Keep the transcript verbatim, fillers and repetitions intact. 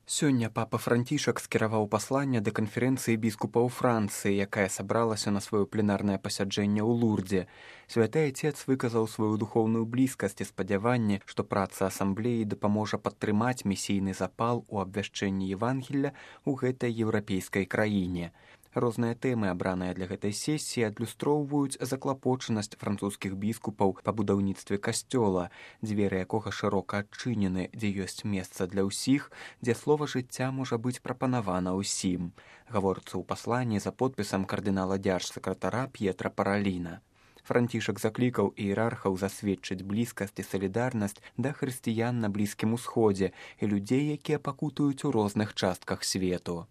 Сёння папа Францішак скіраваў пасланне да канферэнцыі біскупаў Францыі, якая сабралася на сваё пленарнае пасяджэнне ў Лурдзе. Святы Айцец выказаў сваю духоўную блізкасць і спадзяванне, што праца асамблеі дапаможа падтрымаць місійны запал у абвяшчэнні Евангелля ў гэтай еўрапейскай краіне. Розныя тэмы, абраныя для гэтай сесіі, адлюстроўваюць заклапочанасць французскіх біскупаў па будаўніцтве касцёла, дзверы якога шырока адчынены, дзе ёсць месца для ўсіх, дзе слова жыцця можа быць прапанавана ўсім. Гаворыцца ў пасланні за подпісам кардынала дзяржсакратара П'етра Параліна. Францішак заклікаў іерархаў засведчыць блізкасць і салідарнасць да хрысціян на Блізкім Усходзе і людзей, якія пакутуюць у розных частках свету.